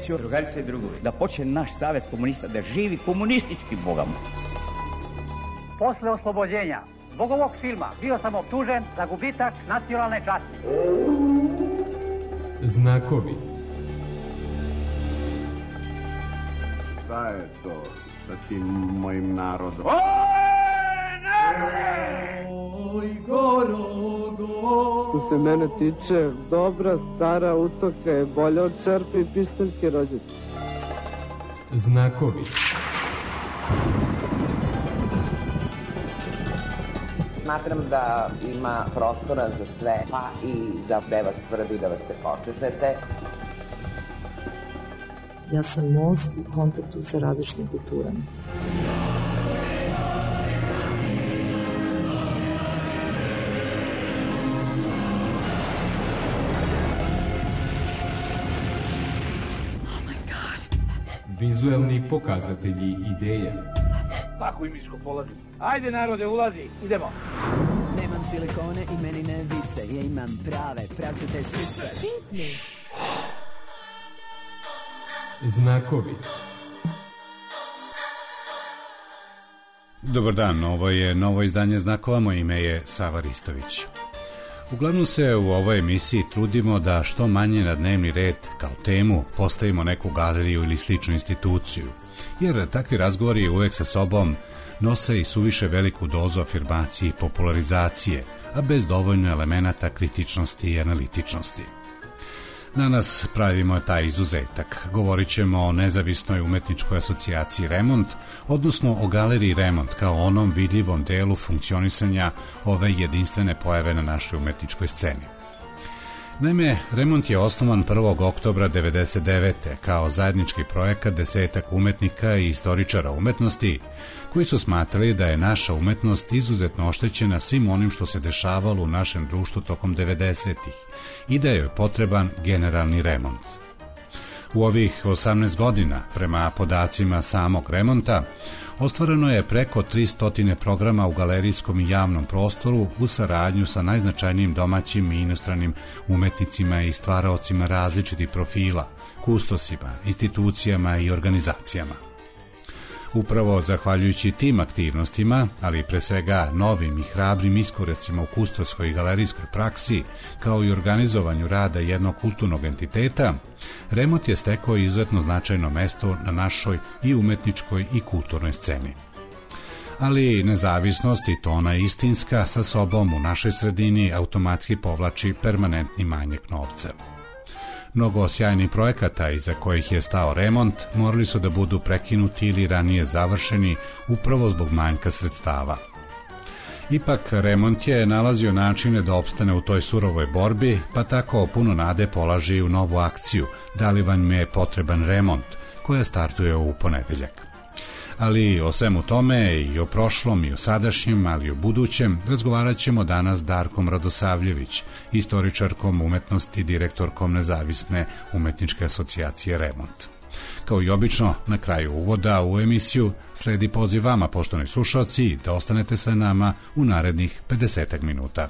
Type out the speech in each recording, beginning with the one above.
sreću, drugarice i drugovi, da počne naš savez komunista da živi komunistički bogama. Posle oslobođenja zbog ovog filma bio sam optužen za gubitak nacionalne časti. Znakovi. Šta je to sa tim mojim narodom? Oj, Gorogo. Što se mene tiče, dobra stara utoka je bolja od čerpe i pišteljke rođete. Znakovi. Smatram da ima prostora za sve, pa i za da vas svrbi, da vas se počešete. Ja sam most u kontaktu sa različitim kulturama. Vizuelni pokazatelji ideja. Pakuj miško, polazi. Ajde narode, ulazi, idemo. Nemam silikone i meni ne vise, ja imam prave, pravcate sise. Znakovi. Dobar dan, ovo je novo izdanje Znakova, moje ime je Sava Ristović. Uglavnom se u ovoj emisiji trudimo da što manje na dnevni red kao temu postavimo neku galeriju ili sličnu instituciju, jer takvi razgovori uvek sa sobom nose i suviše veliku dozu afirmacije i popularizacije, a bez dovoljno elemenata kritičnosti i analitičnosti. Danas pravimo taj izuzetak. Govorit ćemo o nezavisnoj umetničkoj asocijaciji Remont, odnosno o galeriji Remont kao onom vidljivom delu funkcionisanja ove jedinstvene pojave na našoj umetničkoj sceni. Naime, Remont je osnovan 1. oktobra 1999. kao zajednički projekat 10 umetnika i istoričara umetnosti, koji su smatrali da je naša umetnost izuzetno oštećena svim onim što se dešavalo u našem društvu tokom 90-ih i da je potreban generalni remont. U ovih 18 godina, prema podacima samog Remonta, ostvareno je preko 300 programa u galerijskom i javnom prostoru u saradnju sa najznačajnijim domaćim i inostranim umetnicima i stvaraocima različitih profila, kustosima, institucijama i organizacijama. Upravo zahvaljujući tim aktivnostima, ali pre svega novim i hrabrim iskoracima u kustoskoj i galerijskoj praksi, kao i organizovanju rada jednog kulturnog entiteta, Remont je stekao izuzetno značajno mesto na našoj i umetničkoj i kulturnoj sceni. Ali nezavisnost, i to ona istinska, sa sobom u našoj sredini automatski povlači permanentni manjak novca. Mnogo sjajnih projekata iza kojih je stao Remont morali su da budu prekinuti ili ranije završeni upravo zbog manjka sredstava. Ipak Remont je nalazio načine da opstane u toj surovoj borbi, pa tako puno nade polaži u novu akciju Da li vam je potreban remont, koja startuje u ponedeljak. Ali o svemu tome i o prošlom i o sadašnjem, ali i o budućem razgovarat ćemo danas s Darkom Radosavljević, istoričarkom umetnosti i direktorkom nezavisne umetničke asocijacije Remont. Kao i obično, na kraju uvoda u emisiju sledi poziv vama, poštovani slušalci, da ostanete sa nama u narednih 50 minuta.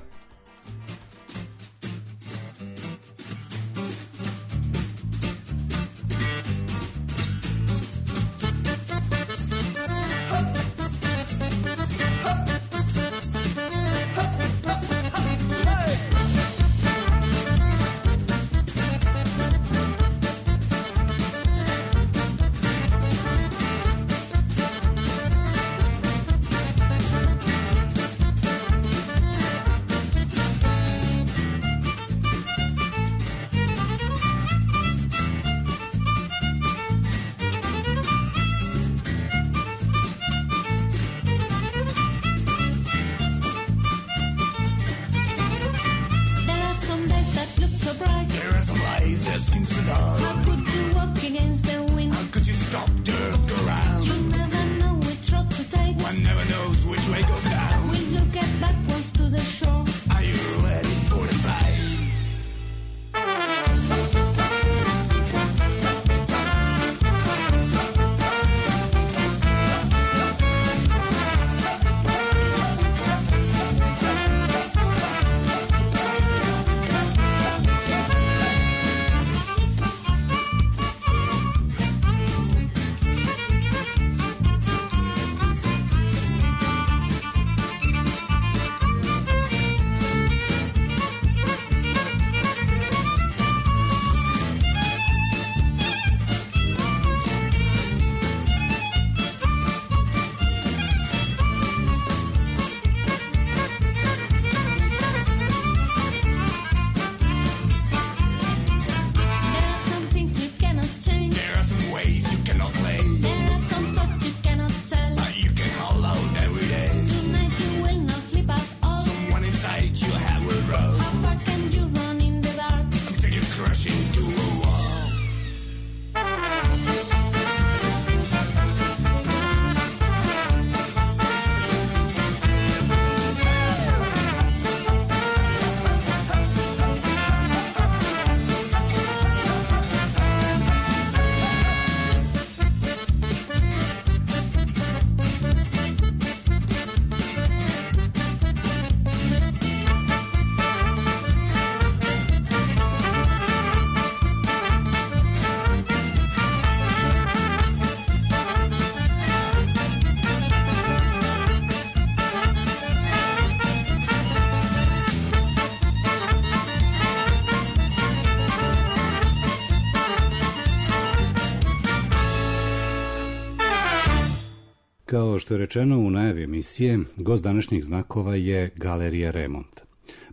Kao što je rečeno u najavi emisije, gost današnjih znakova je Galerija Remont.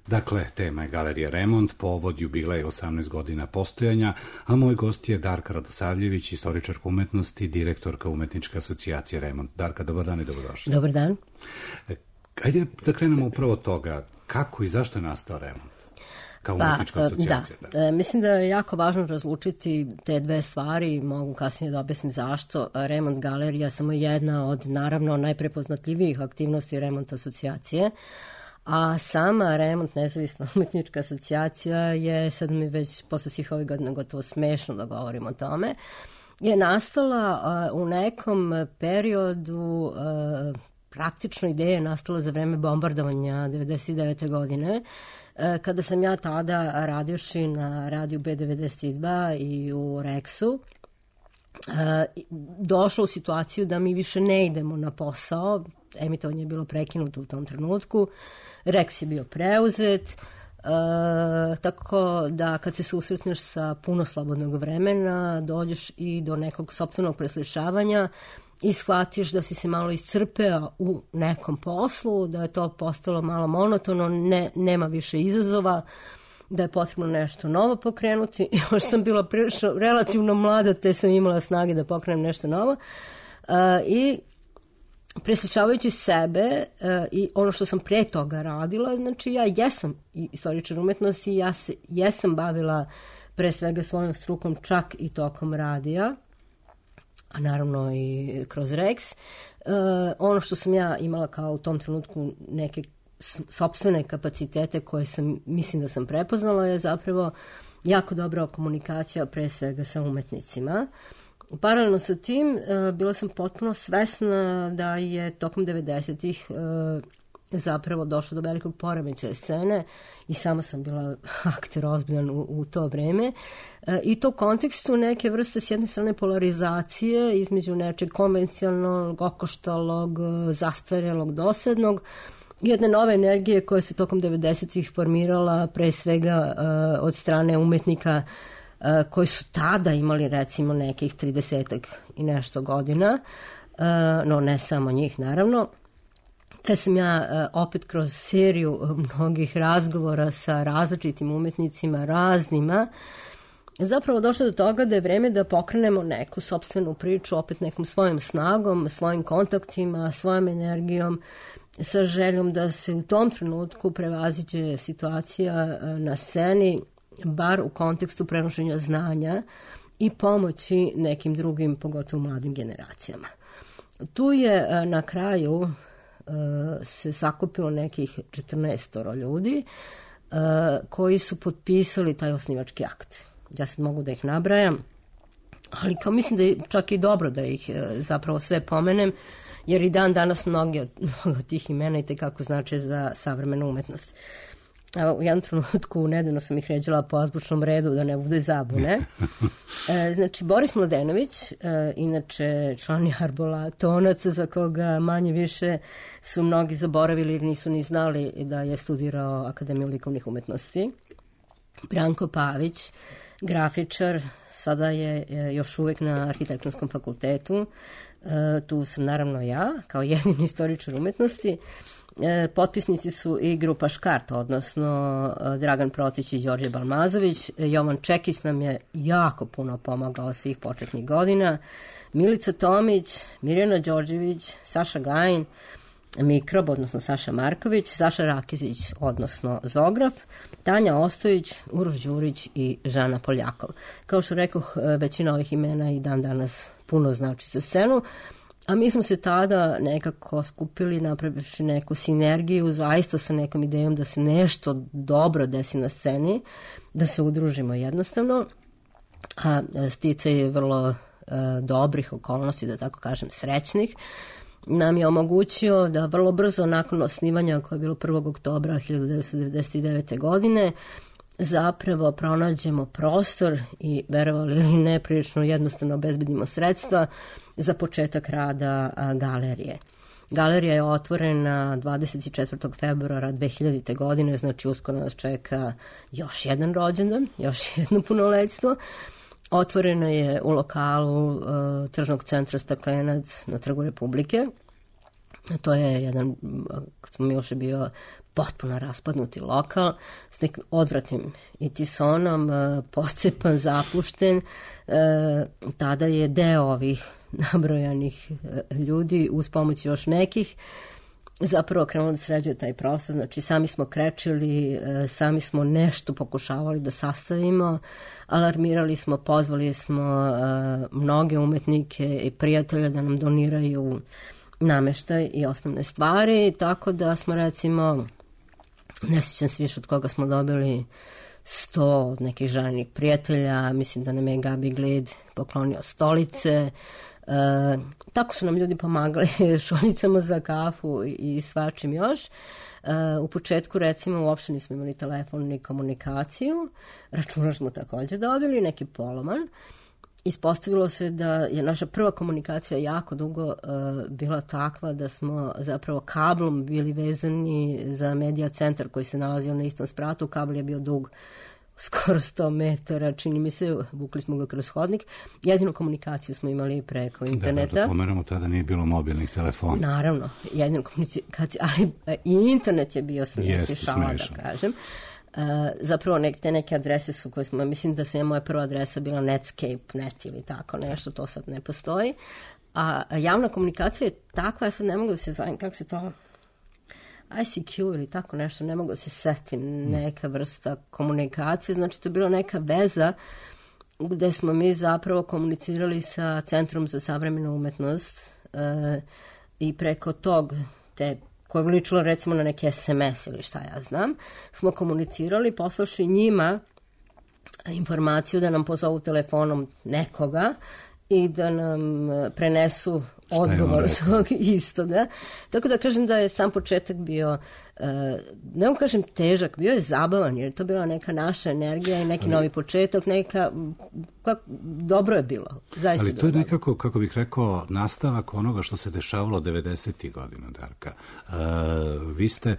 Dakle, tema je Galerija Remont, povod jubilej 18 godina postojanja, a moj gost je Darka Radosavljević, istoričarka umetnosti, direktorka Umetničke asocijacije Remont. Darka, dobar dan i dobrodošli. Dobar dan. Ajde da krenemo upravo od toga, kako i zašto je nastao Remont? Kao umetnička asocijacija. Da. Mislim da je jako važno razlučiti te dve stvari, mogu kasnije da objasnim zašto. Remont galerija je samo jedna od, naravno, najprepoznatljivijih aktivnosti Remont asocijacije, a sama Remont nezavisna umetnička asocijacija je, sad mi već posle svih ovih godina gotovo smešno da govorim o tome, je nastala u nekom periodu, praktično ideja je nastala za vreme bombardovanja 1999. godine, kada sam ja tada radivši na radiju B92 i u Rexu, došla u situaciju da mi više ne idemo na posao, emitovanje je bilo prekinuto u tom trenutku, Rex je bio preuzet, tako da kad se susretneš sa puno slobodnog vremena, dođeš i do nekog sopstvenog preslišavanja i shvatiš da si se malo iscrpeo u nekom poslu, da je to postalo malo monotono, nema više izazova, da je potrebno nešto novo pokrenuti. Još sam bila relativno mlada, te sam imala snage da pokrenem nešto novo. I presličavajući sebe i ono što sam pre toga radila, znači ja jesam istoričar umetnosti, ja se jesam bavila pre svega svojom strukom čak i tokom radija, a naravno i kroz Rex. Ono što sam ja imala kao u tom trenutku neke sopstvene kapacitete koje mislim da sam prepoznala je zapravo jako dobra komunikacija pre svega sa umetnicima. Paralelno sa tim bila sam potpuno svesna da je tokom 90-ih zapravo došlo do velikog poremećaja scene i sama sam bila akter ozbiljan u to vreme i to u kontekstu neke vrste s jedne strane polarizacije između nečeg konvencionalnog, okoštalog, zastarelog, dosadnog, jedne nove energije koja se tokom 90-ih formirala pre svega od strane umetnika koji su tada imali recimo nekih 30-ak i nešto godina, no ne samo njih naravno. Te sam ja opet kroz seriju mnogih razgovora sa različitim umetnicima, raznima, zapravo došla do toga da je vreme da pokrenemo neku sopstvenu priču, opet nekom svojom snagom, svojim kontaktima, svojom energijom, sa željom da se u tom trenutku prevaziđe situacija na sceni, bar u kontekstu prenošenja znanja i pomoći nekim drugim, pogotovo mladim generacijama. Tu je na kraju se sakupilo nekih 14 ljudi koji su potpisali taj osnivački akt. Ja sad mogu da ih nabrajam, ali kao mislim da je čak i dobro da ih zapravo sve pomenem, jer i dan danas mnogi od tih imena i tekako znače za savremenu umetnost. Evo, u jednom trenutku nedavno sam ih ređala po azbučnom redu da ne bude zabune. Znači, Boris Mladenović, inače član je Arbolatonac, za koga manje više su mnogi zaboravili jer nisu ni znali da je studirao Akademiju likovnih umetnosti. Branko Pavić, grafičar, sada je još uvek na Arhitektonskom fakultetu. Tu sam naravno ja, kao jedini istoričar umetnosti. Potpisnici su i grupa Škart, odnosno Dragan Protić i Đorđe Balmazović. Jovan Čekić nam je jako puno pomagao svih početnih godina. Milica Tomić, Mirjana Đorđević, Saša Gajin, Mikrob, odnosno Saša Marković, Saša Rakezić, odnosno Zograf, Tanja Ostojić, Uroš Đurić i Žana Poljakov. Kao što rekoh, većina ovih imena i dan danas puno znači za scenu, a mi smo se tada nekako skupili, napravivši neku sinergiju, zaista sa nekom idejom da se nešto dobro desi na sceni, da se udružimo jednostavno, a sticaj je vrlo dobrih okolnosti, da tako kažem, srećnih, nam je omogućio da vrlo brzo nakon osnivanja, koje je bilo 1. oktobra 1999. godine, zapravo pronađemo prostor i, verovali ili ne, prilično jednostavno obezbedimo sredstva za početak rada galerije. Galerija je otvorena 24. februara 2000. godine, znači uskoro nas čeka još jedan rođendan, još jedno punoletstvo. Otvoreno je u lokalu Tržnog centra Staklenac na Trgu Republike. To je jedan, kad smo još bio potpuno raspadnuti lokal s nekim odvratnim itisonom, pocepan, zapušten. Tada je deo ovih nabrojanih ljudi uz pomoć još nekih zapravo krenulo da sređuje taj prostor. Znači sami smo krečili, sami smo nešto pokušavali da sastavimo, alarmirali smo, pozvali smo mnoge umetnike i prijatelje da nam doniraju nameštaj i osnovne stvari, tako da smo recimo, ne sjećam se više od koga smo dobili 100 od nekih željenih prijatelja, mislim da nam je Gabi Glid poklonio stolice, tako su nam ljudi pomagali šoljicama za kafu i svačim još. U početku recimo uopšte nismo imali telefon ni komunikaciju, računar smo također dobili, neki poloman. Ispostavilo se da je naša prva komunikacija jako dugo bila takva da smo zapravo kablom bili vezani za medija centar koji se nalazio na istom spratu. Kabel je bio dug skoro 100 metara, čini mi se, vukli smo ga kroz hodnik. Jedinu komunikaciju smo imali preko interneta. Da pomeramo, tada nije bilo mobilnih telefona. Naravno, jedinu komunikaciju, ali i internet je bio smiješni šala, da kažem. Zapravo te neke adrese su koje smo, mislim da je moja prva adresa bila Netscape.net ili tako nešto, to sad ne postoji. A javna komunikacija je takva, ja sad ne mogu da se zovem, kako se to... ICQ ili tako nešto, ne mogu da se setim, neka vrsta komunikacije, znači to je bila neka veza gde smo mi zapravo komunicirali sa Centrom za savremenu umetnost i preko tog, koje je ličilo recimo na neki SMS ili šta ja znam, smo komunicirali, poslavši njima informaciju da nam pozovu telefonom nekoga i da nam prenesu odgovor tog istoga. Tako da kažem da je sam početak bio, ne mogu kažem težak, bio je zabavan, jer je to bila neka naša energija i neki novi početak, dobro je bilo. Zaista ali to je nekako, kako bih rekao, nastavak onoga što se dešavalo 90. godina, Darka. Vi ste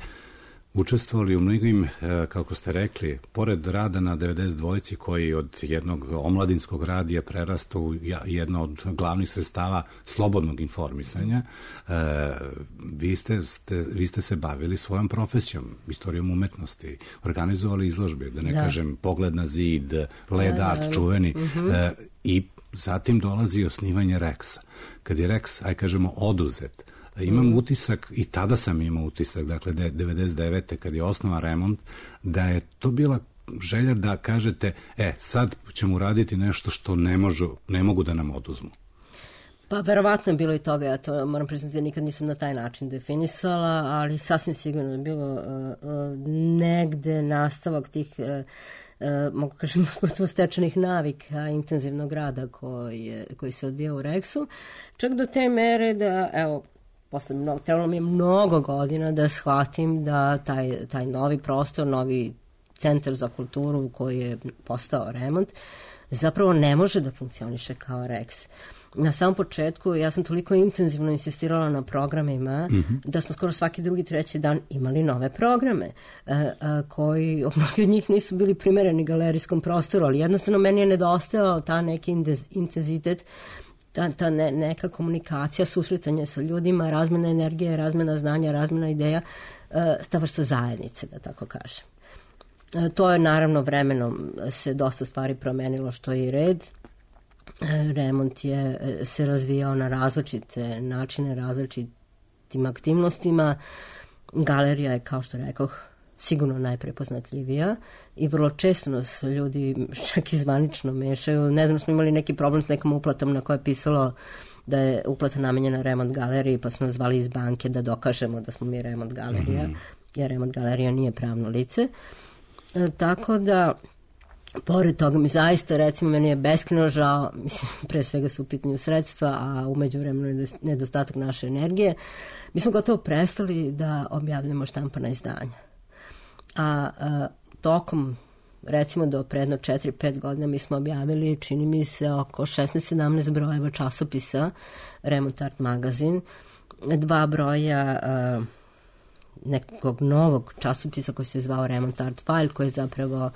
učestvovali u mnogim, kako ste rekli, pored rada na 92-ci koji od jednog omladinskog radija prerasta u jedno od glavnih sredstava slobodnog informisanja, vi ste se bavili svojom profesijom, istorijom umetnosti, organizovali izložbe, da ne kažem Pogled na zid, Led Art, čuveni, i zatim dolazi osnivanje Rexa. Kad je Rex, aj kažemo, oduzet, imam utisak, i tada sam imao utisak, dakle 99. kad je osnovan Remont, da je to bila želja da kažete, sad ćemo uraditi nešto što ne mogu da nam oduzmu. Pa verovatno je bilo i toga, ja to moram priznati, nikad nisam na taj način definisala, ali sasvim sigurno je bilo negde nastavak tih mogu kažem gotovo stečenih navika intenzivnog rada koji se odvija u Rexu, čak do te mere da, evo, trebalo mi je mnogo godina da shvatim da taj novi prostor, novi centar za kulturu koji je postao Remont, zapravo ne može da funkcioniše kao Rex. Na samom početku ja sam toliko intenzivno insistirala na programima da smo skoro svaki drugi, treći dan imali nove programe koji, mnogi od njih nisu bili primereni galerijskom prostoru, ali jednostavno meni je nedostajao ta neki intenzitet, ta neka komunikacija, susretanje sa ljudima, razmena energije, razmena znanja, razmena ideja, ta vrsta zajednice, da tako kažem. To je naravno vremenom se dosta stvari promenilo, što je i red. Remont je se razvijao na različite načine, različitim aktivnostima. Galerija je, kao što rekoh, sigurno najprepoznatljivija i vrlo često nas ljudi čak i zvanično mešaju. Nedavno smo imali neki problem s nekom uplatom na koje je pisalo da je uplata namenjena Remont galeriji, pa smo nas zvali iz banke da dokažemo da smo mi Remont galerija, jer Remont galerija nije pravno lice. Tako da, pored toga mi zaista, recimo, meni je beskrajno žao, mislim, pre svega su u pitanju sredstva, a u međuvremenu je nedostatak naše energije. Mi smo gotovo prestali da objavljamo štampana izdanja. A tokom, recimo do predno 4-5 godina mi smo objavili, čini mi se, oko 16-17 brojeva časopisa Remont Art magazin, 2 broja nekog novog časopisa koji se zvao Remont Art File, koji je zapravo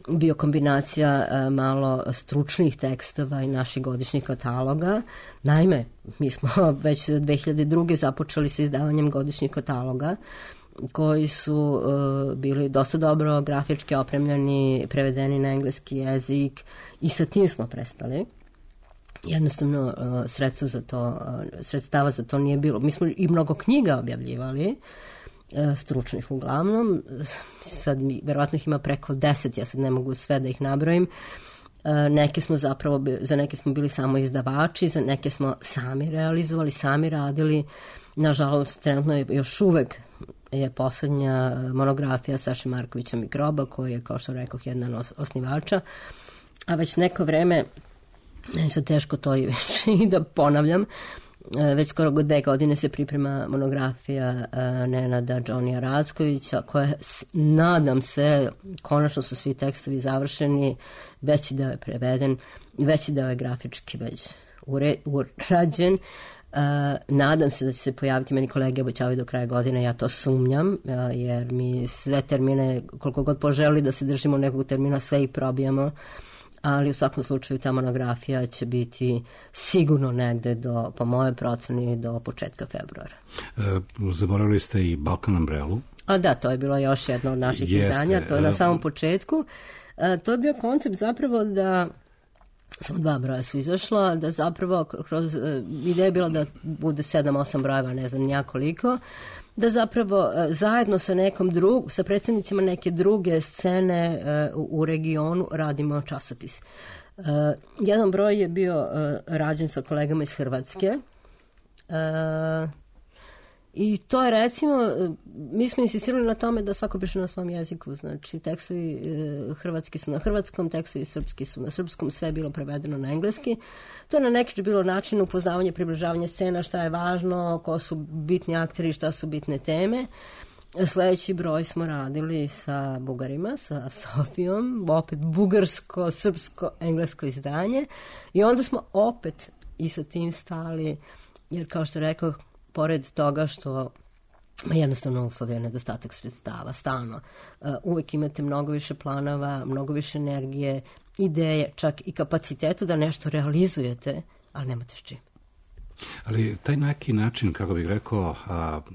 bio kombinacija malo stručnih tekstova i naših godišnjih kataloga. Naime, mi smo već 2002. započeli sa izdavanjem godišnjih kataloga koji su bili dosta dobro grafički opremljeni, prevedeni na engleski jezik i sa tim smo prestali. Jednostavno sredstava za to nije bilo. Mi smo i mnogo knjiga objavljivali, stručnih uglavnom, sad verovatno ih ima preko 10, ja sad ne mogu sve da ih nabrojim. Za neke smo bili samo izdavači, za neke smo sami realizovali, sami radili. Nažalost, trenutno je još uvek je poslednja monografija Saše Markovića Mikroba, koji je, kao što rekoh, jedan osnivača, a već neko vreme, meni se teško to i da ponavljam, već skoro 2 godine se priprema monografija Nenada Džonija Rackovića, koja, nadam se, konačno su svi tekstovi završeni, veći deo je preveden, veći deo je grafički već urađen. Nadam se da će se pojaviti, meni kolege obećavaju do kraja godine, ja to sumnjam, jer mi sve termine, koliko god poželi da se držimo nekog termina, sve i probijamo, ali u svakom slučaju ta monografija će biti sigurno negde po mojoj proceni do početka februara. Zaboravili ste i Balkan Umbrellu. A da, to je bilo još jedno od naših izdanja, to je na samom početku. To je bio koncept zapravo da, samo 2 broja su izašla, da zapravo kroz, ideja je bila da bude 7-8 brojeva, ne znam njakoliko, da zapravo zajedno sa sa predstavnicima neke druge scene u regionu radimo časopis. Jedan broj je bio rađen sa kolegama iz Hrvatske i to je, recimo, mi smo insistirali na tome da svako piše na svom jeziku, znači tekstovi hrvatski su na hrvatskom, tekstovi srpski su na srpskom, sve je bilo prevedeno na engleski. To je na neki bilo način upoznavanje, približavanje scena, šta je važno, ko su bitni akteri, šta su bitne teme. Sledeći broj smo radili sa Bugarima, sa Sofijom, opet bugarsko, srpsko, englesko izdanje, i onda smo opet i sa tim stali, jer kao što rekao, pored toga što jednostavno uslovio nedostatak sredstava, stalno. Uvek imate mnogo više planova, mnogo više energije, ideje, čak i kapaciteta da nešto realizujete, ali nemate s čim. Ali taj neki način, kako bih rekao,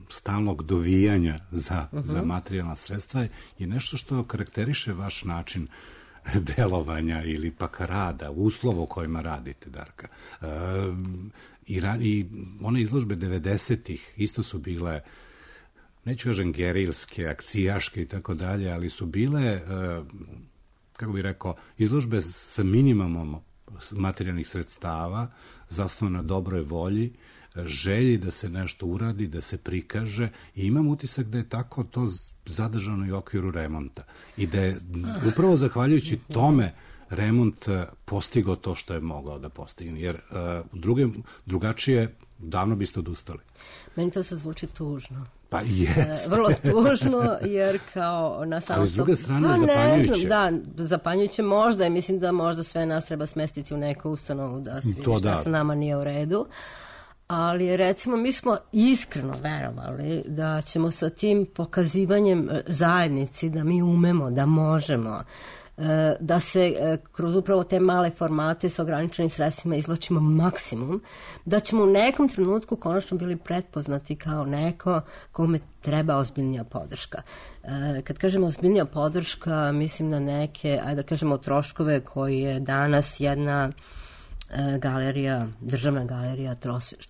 stalnog dovijanja za materijalna sredstva je nešto što karakteriše vaš način delovanja ili pak rada, uslova u kojima radite, Darka. I one izložbe 90-ih isto su bile, neću kažem gerilske, akcijaške i tako dalje, ali su bile, kako bih rekao, izložbe sa minimumom materijalnih sredstava, zasnovane na dobroj volji, želji da se nešto uradi, da se prikaže, i imam utisak da je tako to zadržano i u okviru remonta. I da je upravo zahvaljujući tome remont postigao to što je mogao da postigne, jer drugačije davno biste odustali. Meni to sad zvuči tužno. Pa jeste. Vrlo tužno, jer kao na samom... Ali s druge strane zapanjujuće. Ne znam, da, zapanjujuće možda, i mislim da možda sve nas treba smestiti u neku ustanovu da se vidi šta sa nama nije u redu. Ali recimo mi smo iskreno verovali da ćemo sa tim pokazivanjem zajednici da mi umemo, da možemo, da se kroz upravo te male formate sa ograničenim sredstvima izvlačimo maksimum, da ćemo u nekom trenutku konačno bili pretpoznati kao neko kome treba ozbiljnija podrška. Kad kažemo ozbiljnija podrška, mislim na neke, ajde da kažemo, troškove koji je danas jedna galerija, državna galerija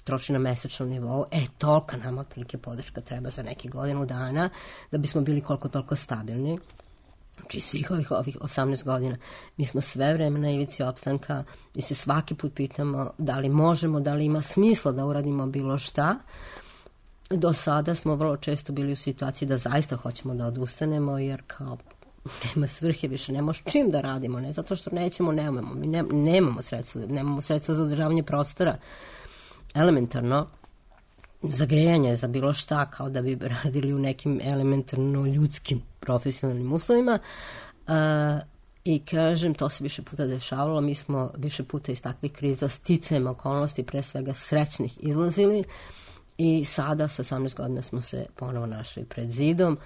troši na mesečnom nivou, tolika nam otprilike podrška treba za neki godinu dana da bismo bili koliko toliko stabilni. Znači svih ovih 18 godina mi smo sve vreme na ivici opstanka i se svaki put pitamo da li možemo, da li ima smisla da uradimo bilo šta. Do sada smo vrlo često bili u situaciji da zaista hoćemo da odustanemo, jer kao nema svrhe više, nemamo s čim da radimo, ne zato što nećemo, nemamo, mi nemamo sredstva za održavanje prostora, elementarno za grejanje, za bilo šta, kao da bi radili u nekim elementarno ljudskim profesionalnim uslovima. I kažem, to se više puta dešavalo, mi smo više puta iz takvih kriza sticajem okolnosti, pre svega srećnih, izlazili, i sada sa 18 godina smo se ponovo našli pred zidom.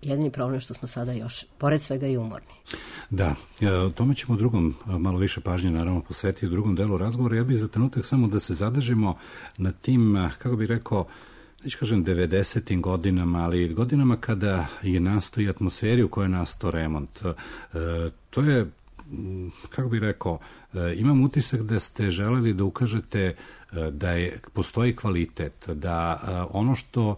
Jedini problem je što smo sada još, pored svega, i umorni. Da, tome ćemo u drugom, malo više pažnje naravno posvetiti u drugom delu razgovora. Ja bih za trenutak samo da se zadržimo na tim, kako bih rekao, neću kažem 90. godinama, ali godinama kada je nastao i atmosferi u kojoj je nastao remont. To je, kako bih rekao, imam utisak da ste želeli da ukažete da postoji kvalitet, da ono što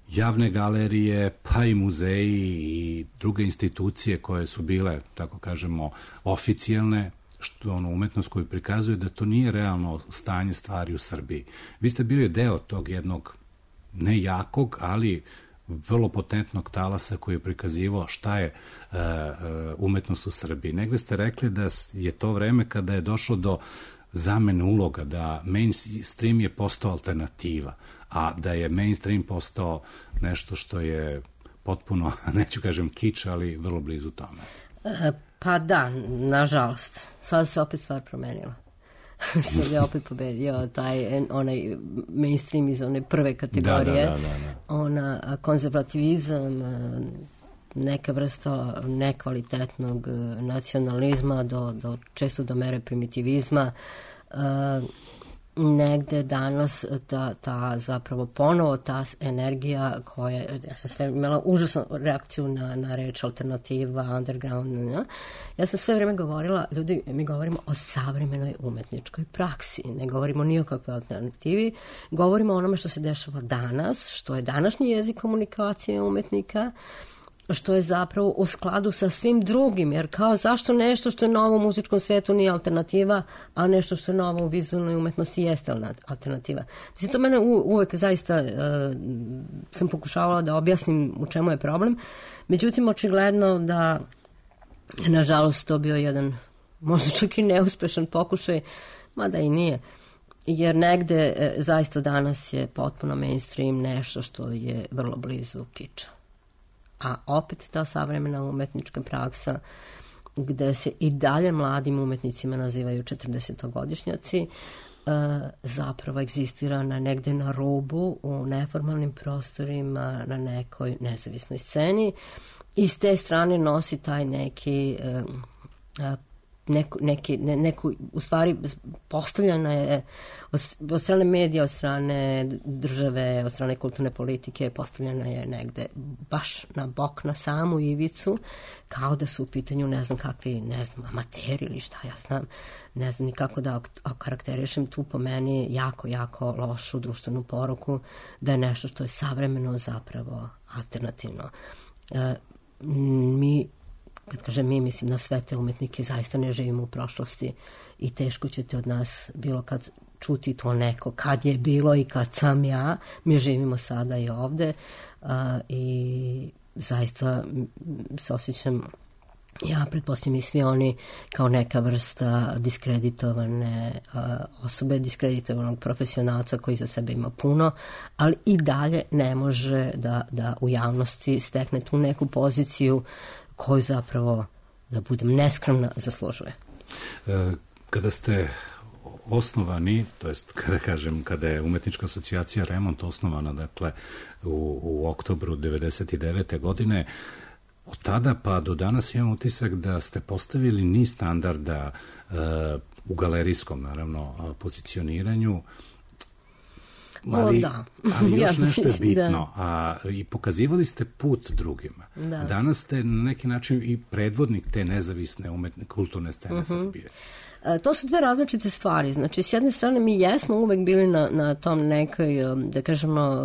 javne galerije, pa i muzeji i druge institucije koje su bile, tako kažemo, oficijalne, što umetnost koju prikazuje, da to nije realno stanje stvari u Srbiji. Vi ste bili deo tog jednog ne jakog, ali vrlo potentnog talasa koji je prikazivao šta je umetnost u Srbiji. Negde ste rekli da je to vreme kada je došlo do zamene uloga, da mainstream je postao alternativa, a da je mainstream postao nešto što je potpuno, neću kažem kič, ali vrlo blizu tome. Pa da, nažalost. Sada se opet stvar promenila. Sad je opet pobedio onaj mainstream iz one prve kategorije. Da. Ona konzervativizam, neka vrsta nekvalitetnog nacionalizma često do mere primitivizma. Negde danas ta zapravo ponovo ta energija koja, ja sam sve imala užasnu reakciju na reč alternativa, underground, ja sam sve vreme govorila, ljudi, mi govorimo o savremenoj umetničkoj praksi, ne govorimo ni o kakvoj alternativi, govorimo o onome što se dešava danas, što je današnji jezik komunikacije umetnika, što je zapravo u skladu sa svim drugim, jer kao zašto nešto što je novo u muzičkom svetu nije alternativa, a nešto što je novo u vizualnoj umetnosti jeste alternativa. Mislim, to mene uvek zaista sam pokušavala da objasnim u čemu je problem, međutim, očigledno da nažalost to bio jedan možda čak i neuspešan pokušaj, mada i nije, jer negde zaista danas je potpuno mainstream nešto što je vrlo blizu kiča. A opet ta savremena umetnička praksa gde se i dalje mladim umetnicima nazivaju 40-godišnjaci zapravo egzistira negde na rubu u neformalnim prostorima na nekoj nezavisnoj sceni i s te strane nosi taj neku, u stvari postavljena je od strane medija, od strane države, od strane kulturne politike, postavljena je negde baš na bok, na samu ivicu, kao da su u pitanju ne znam kakvi, amateri ili šta ja znam, ne znam ni kako da okarakterišem tu po meni jako lošu društvenu poruku da je nešto što je savremeno zapravo alternativno. Kad kažem mi, mislim na sve te umetnike, zaista ne živimo u prošlosti i teško ćete od nas bilo kad čuti to neko kad je bilo i kad sam ja. Mi živimo sada i ovde i zaista se osjećam, ja pretpostavljam i svi oni, kao neka vrsta diskreditovane osobe, diskreditovanog profesionalca koji za sebe ima puno, ali i dalje ne može da u javnosti stekne tu neku poziciju koju zapravo, da budem neskromna, zaslužuje. Kada ste osnovani, to jest kada je Umetnička asocijacija Remont osnovana, dakle u oktobru 1999. godine, od tada pa do danas imam utisak da ste postavili niz standarda u galerijskom, naravno, pozicioniranju, ali još nešto je bitno, i pokazivali ste put drugima. Danas ste na neki način i predvodnik te nezavisne kulturne scene Srbije. To su dve različite stvari. Znači, s jedne strane mi jesmo uvek bili na tom nekoj, da kažemo,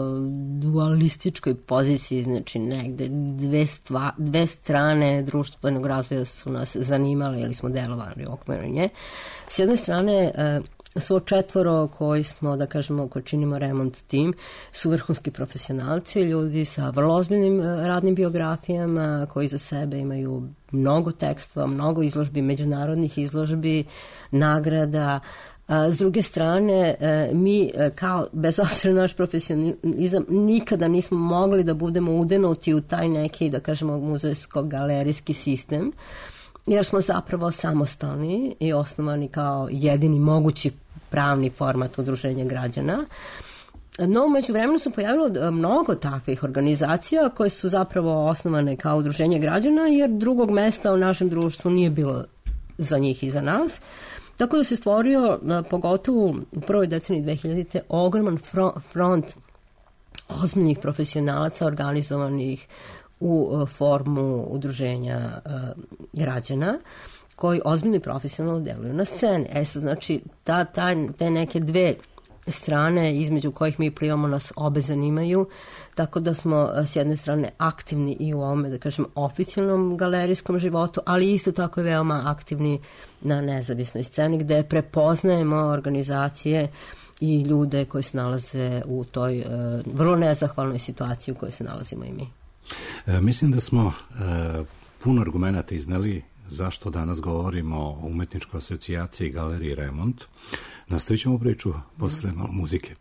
dualističkoj poziciji, znači negde dve strane društvenog razvoja su nas zanimale ili smo delovali u okviru nje. S jedne strane, svo četvoro koji smo, da kažemo, koji činimo Remont tim, su vrhunski profesionalci, ljudi sa vrlo ozbiljnim radnim biografijama, koji za sebe imaju mnogo tekstova, mnogo izložbi, međunarodnih izložbi, nagrada. S druge strane, mi kao, bez obzira na naš profesionalizam, nikada nismo mogli da budemo udenuti u taj neki, da kažemo, muzejsko-galerijski sistem, jer smo zapravo samostalni i osnovani kao jedini mogući pravni format udruženja građana. No, umeđu vremenu se pojavilo mnogo takvih organizacija koje su zapravo osnovane kao udruženje građana, jer drugog mesta u našem društvu nije bilo za njih i za nas. Tako da se stvorio, pogotovo u prvoj deceniji 2000. ogroman front ozbiljnih profesionalaca organizovanih u formu udruženja građana, koji ozbiljno i profesionalno deluju na sceni. Sad, znači, te neke dve strane između kojih mi plivamo nas obe zanimaju, tako da smo s jedne strane aktivni i u ovome, da kažem, oficijalnom galerijskom životu, ali isto tako i veoma aktivni na nezavisnoj sceni, gde prepoznajemo organizacije i ljude koji se nalaze u toj vrlo nezahvalnoj situaciji u kojoj se nalazimo i mi. Mislim da smo puno argumenata izneli zašto danas govorimo o umetničkoj asocijaciji Galeriji Remont. Nastavit ćemo priču posle malo muzike.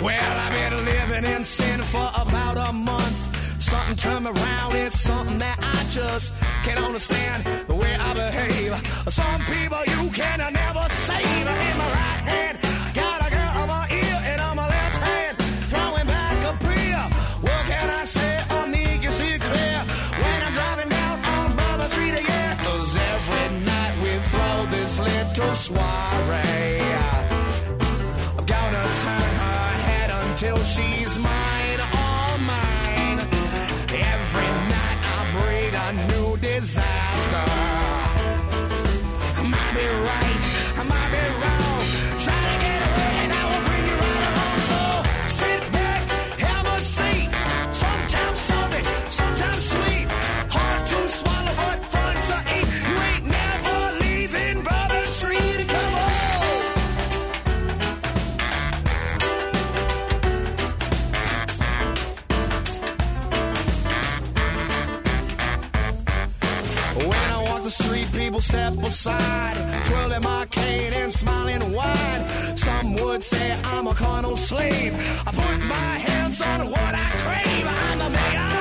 Well, I've been living in sin for about a month. Something turned me around, it's something that I just can't understand the way I behave. Some people you can never save. In my right hand, got a girl on my ear, and on my left hand, throwing back a beer. What can I say? I'll make you see clear when I'm driving down on Bourbon Street again. 'Cause every night we throw this little soiree. I'm gonna turn her head until she's mine, all mine. Every night I bring a new disaster. I might be right, I might be wrong. Try to get away and I will bring you right along. So sit back, have a seat. Sometimes salty, sometimes sweet. Hard to swallow but fun to eat. You ain't never leaving Bourbon Street. Come on. When I walk the street, people step aside, twirling my cane and smiling wide. Some would say I'm a carnal slave. I put my hands on what I crave. I'm the mayor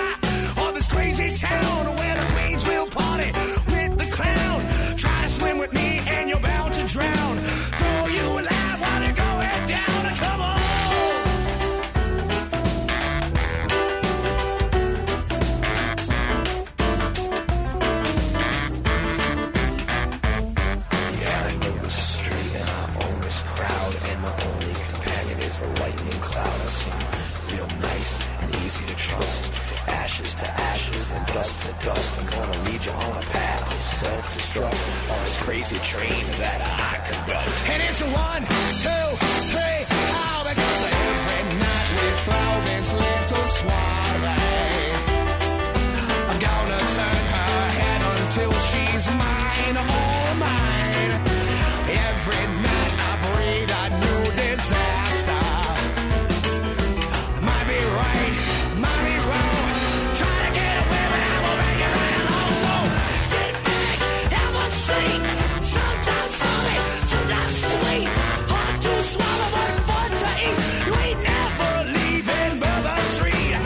of this crazy town where the queens will party with the clown. Try to swim with me and you're bound to drown. Throw you alive while you're going down. Come on. A lightning cloud. I seem real nice and easy to trust. Ashes to ashes and dust to dust. I'm gonna lead you on a path of self-destruct on this crazy train that I conduct. And it's a 1, 2, 3, how because every night we throw this little soiree. I'm gonna turn her head until she's mine, all mine. Every night I breed a new disaster. Might be right, might be wrong. Try to get away, but I will bring you right along. So sit back, have a seat. Sometimes funny, sometimes sweet. Hard to swallow, but fun to eat. You ain't never leaving Bourbon Street.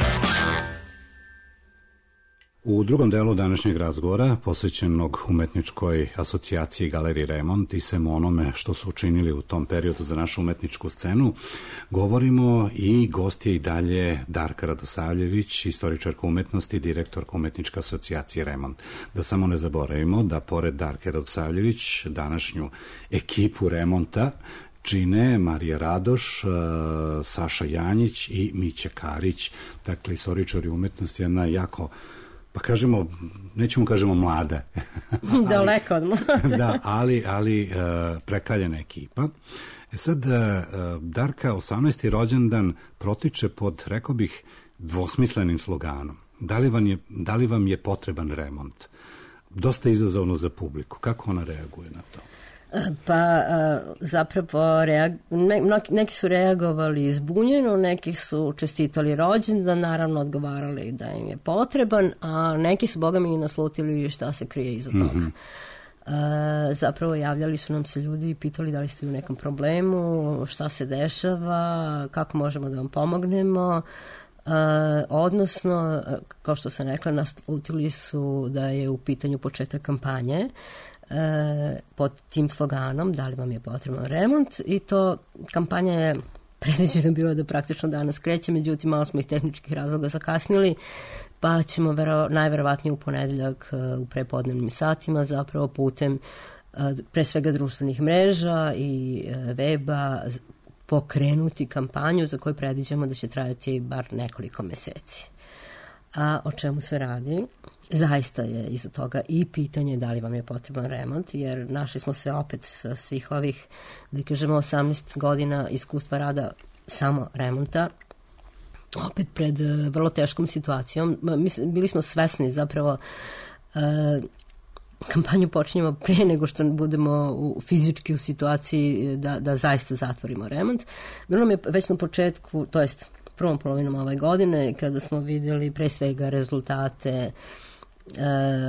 U drugom delu današnjeg razgovora, posvećenog umetničkoj asocijaciji Galeriji Remont i svemu onome što su učinili u tom periodu za našu umetničku scenu, govorimo i gost je i dalje Darka Radosavljević, istoričarka umetnosti i direktorka umetničke asocijacije Remont. Da samo ne zaboravimo da pored Darke Radosavljević današnju ekipu Remonta čine Marija Radoš, Saša Janjić i Mića Karić, dakle istoričari umetnosti, jedna jako, pa kažemo, nećemo kažemo mlada. Daleko od mlada. Da, ali prekaljena ekipa. Sad, Darka, 18. rođendan protiče pod, rekao bih, dvosmislenim sloganom. Da li vam je potreban remont? Dosta izazovno za publiku. Kako ona reaguje na to? Pa zapravo neki su reagovali zbunjeno, neki su čestitali rođendan, naravno odgovarali da im je potreban, a neki su boga mi naslutili šta se krije iza toga. Zapravo javljali su nam se ljudi i pitali da li ste u nekom problemu, šta se dešava, kako možemo da vam pomognemo. Odnosno, kao što sam rekla, naslutili su da je u pitanju početak kampanje pod tim sloganom da li vam je potreban remont, i to kampanja je predviđeno bilo da praktično danas kreće, međutim malo smo ih tehničkih razloga zakasnili, pa ćemo najverovatnije u ponedeljak u prepodnevnim satima zapravo putem pre svega društvenih mreža i weba pokrenuti kampanju za koju predviđamo da će trajati bar nekoliko meseci. A o čemu se radi? Zaista je iza toga i pitanje da li vam je potreban remont, jer našli smo se opet sa svih ovih, da kažemo, 18 godina iskustva rada samo remonta, opet pred vrlo teškom situacijom. Bili smo svesni zapravo, kampanju počinjemo pre nego što budemo fizički u situaciji da zaista zatvorimo remont. Bilo nam je već na početku, to jest prvom polovinom ove godine, kada smo vidjeli pre svega rezultate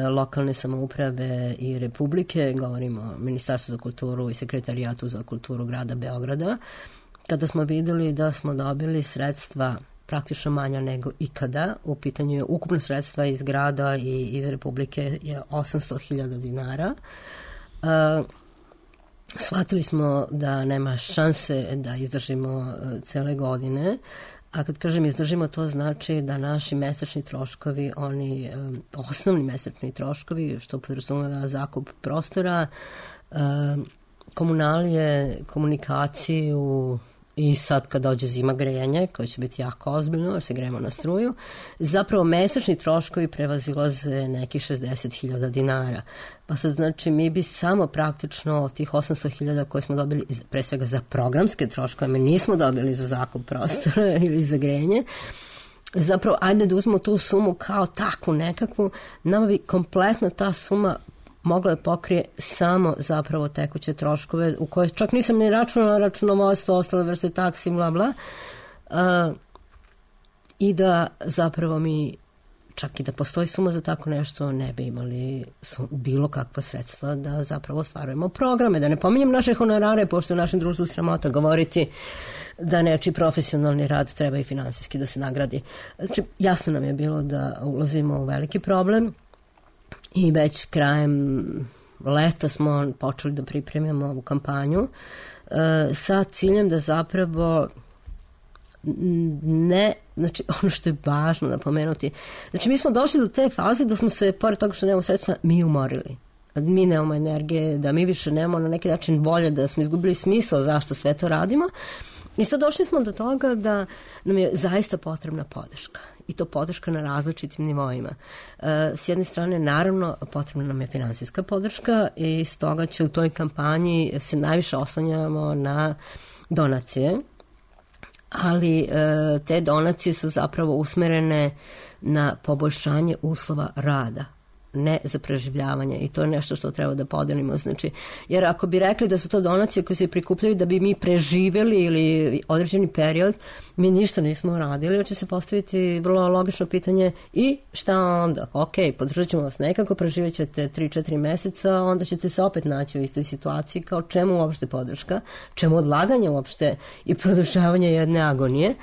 lokalne samouprave i Republike, govorimo o Ministarstvu za kulturu i Sekretarijatu za kulturu grada Beograda, kada smo vidjeli da smo dobili sredstva praktično manja nego ikada. U pitanju je ukupno sredstva iz grada i iz Republike je 800.000 dinara. Shvatili smo da nema šanse da izdržimo cele godine, a kad kažem izdržimo, to znači da naši mesečni troškovi, oni osnovni mesečni troškovi, što podrazumeva zakup prostora, komunalije, komunikaciju, i sad kad dođe zima, grejanje, koje će biti jako ozbiljno, jer se grejemo na struju, zapravo mesečni troškovi prevazilaze nekih 60.000 dinara. Pa sad znači mi bi samo praktično tih 800.000 koje smo dobili pre svega za programske troškove, mi nismo dobili za zakup prostora ili za grejanje, zapravo ajde da uzmemo tu sumu kao takvu nekakvu, nama bi kompletna ta suma mogla da pokrije samo zapravo tekuće troškove, u koje čak nisam ni računala računovodstvo, ostale vrste taksi, bla bla, i da zapravo mi, čak i da postoji suma za tako nešto, ne bi imali bilo kakva sredstva da zapravo ostvarujemo programe. Da ne pominjem naše honorare, pošto u našem društvu sramota govoriti da nečiji profesionalni rad treba i finansijski da se nagradi. Znači, jasno nam je bilo da ulazimo u veliki problem, i već krajem leta smo počeli da pripremimo ovu kampanju sa ciljem da zapravo ne, znači ono što je važno da pomenuti, znači mi smo došli do te faze da smo se, pored toga što nemamo sredstva, mi umorili. Mi nemamo energije, da mi više nemamo na neki način volje, da smo izgubili smisao zašto sve to radimo, i sad došli smo do toga da nam je zaista potrebna podrška. I to podrška na različitim nivoima. S jedne strane, naravno, potrebna nam je finansijska podrška i stoga će u toj kampanji se najviše oslanjamo na donacije, ali te donacije su zapravo usmerene na poboljšanje uslova rada, ne za preživljavanje, i to je nešto što treba da podelimo. Znači, jer ako bi rekli da su to donacije koje se prikupljaju da bi mi preživeli ili određeni period, mi ništa nismo radili, jer će se postaviti vrlo logično pitanje i šta onda? Ok, podržat ćemo vas nekako, preživjet ćete 3-4 meseca, onda ćete se opet naći u istoj situaciji, kao čemu uopšte podrška, čemu odlaganje uopšte i produžavanje jedne agonije.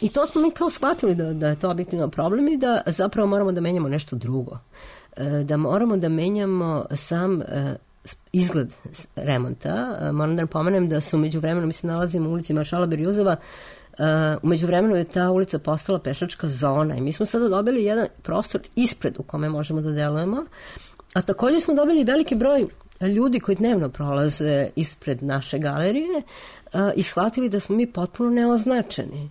I to smo mi kao shvatili da je to objektivno problem i da zapravo moramo da menjamo nešto drugo. Da moramo da menjamo sam izgled remonta. Moram da napomenem da su umeđu vremenu, mi se nalazimo u ulici Maršala Berjuzova, umeđu vremenu je ta ulica postala pešačka zona i mi smo sada dobili jedan prostor ispred u kome možemo da delujemo, a također smo dobili veliki broj ljudi koji dnevno prolaze ispred naše galerije i shvatili da smo mi potpuno neoznačeni,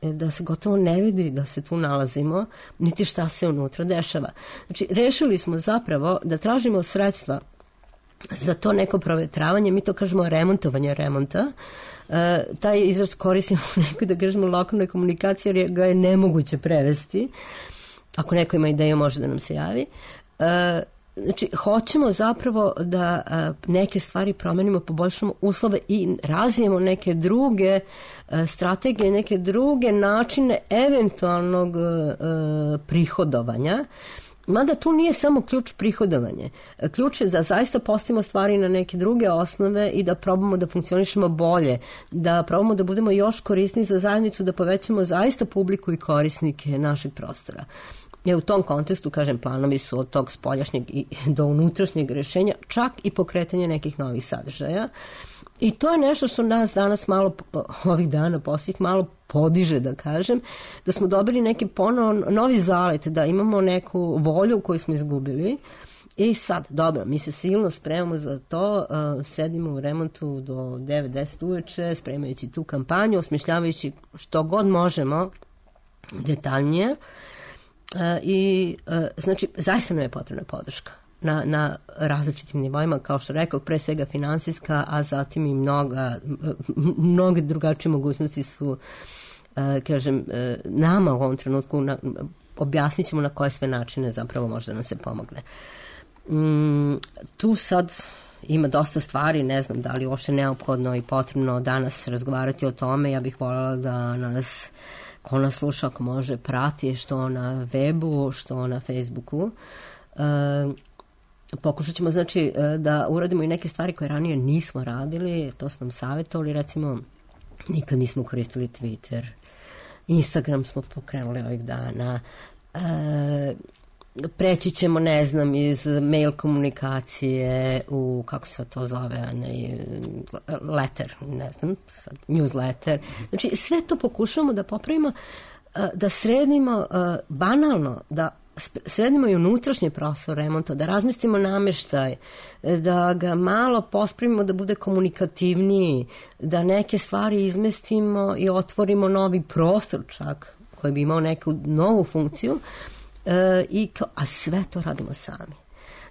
da se gotovo ne vidi da se tu nalazimo, niti šta se unutra dešava. Znači, rešili smo zapravo da tražimo sredstva za to neko provetravanje, mi to kažemo remontovanje remonta. Taj izraz koristimo u nekoj, da kažemo, lokalnoj komunikaciji, jer ga je nemoguće prevesti. Ako neko ima ideju, može da nam se javi. Znači, hoćemo zapravo da neke stvari promenimo, poboljšamo uslove i razvijemo neke druge strategije, neke druge načine eventualnog prihodovanja. Mada tu nije samo ključ prihodovanje. Ključ je da zaista postavimo stvari na neke druge osnove i da probamo da funkcionišemo bolje, da probamo da budemo još korisniji za zajednicu, da povećamo zaista publiku i korisnike našeg prostora. Jer u tom kontekstu, kažem, planovi su od tog spoljašnjeg i do unutrašnjeg rešenja, čak i pokretanje nekih novih sadržaja. I to je nešto što nas danas malo, ovih dana posljednjih, malo podiže, da kažem, da smo dobili neki ponovo novi zalet, da imamo neku volju koju smo izgubili. I sad, dobro, mi se silno spremamo za to, sedimo u remontu do 9-10 uveče, spremajući tu kampanju, osmišljavajući što god možemo detaljnije. Znači, zaista nam je potrebna podrška na različitim nivoima, kao što rekao, pre svega finansijska, a zatim i mnoge drugačije mogućnosti su, kažem, nama u ovom trenutku objasnit ćemo na koje sve načine zapravo može da nam se pomogne. Tu sad ima dosta stvari, ne znam da li uopšte neophodno i potrebno danas razgovarati o tome. Ja bih voljela da nas, ko nas sluša, ako može, prati što na webu, što na Facebooku. Pokušat ćemo, znači, da uradimo i neke stvari koje ranije nismo radili, to su nam savjetovali, recimo, nikad nismo koristili Twitter, Instagram smo pokrenuli ovih dana, preći ćemo, ne znam, iz mail komunikacije u, kako se to zove, letter, ne znam, newsletter. Znači, sve to pokušamo da popravimo, da sredimo banalno, da sredimo i unutrašnje prostor remonta, da razmestimo nameštaj, da ga malo pospravimo da bude komunikativniji, da neke stvari izmestimo i otvorimo novi prostor čak, koji bi imao neku novu funkciju, a sve to radimo sami.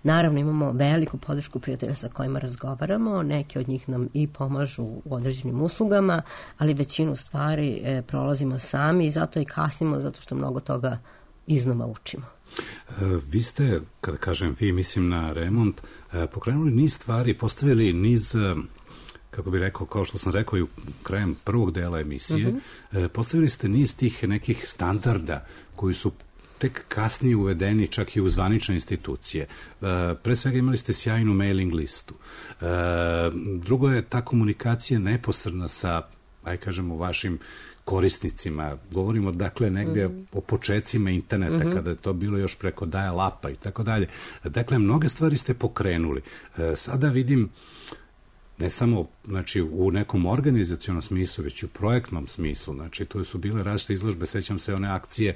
Naravno, imamo veliku podršku prijatelja sa kojima razgovaramo, neki od njih nam i pomažu u određenim uslugama, ali većinu stvari prolazimo sami i zato i kasnimo, zato što mnogo toga iznova učimo. Vi ste, kada kažem vi, mislim na remont, pokrenuli niz stvari, postavili niz, kako bih rekao, kao što sam rekao i u krajem prvog dela emisije, postavili ste niz tih nekih standarda koji su tek kasnije uvedeni čak i u zvanične institucije. Pre svega imali ste sjajnu mailing listu. Drugo je ta komunikacija neposredna sa, kažemo, vašim korisnicima. Govorimo, dakle, negde o počecima interneta, kada je to bilo još preko dial-upa i tako dalje. Dakle, mnoge stvari ste pokrenuli. Sada vidim, ne samo, znači, u nekom organizacionom smislu, već i u projektnom smislu. Znači, to su bile različite izložbe, sećam se one akcije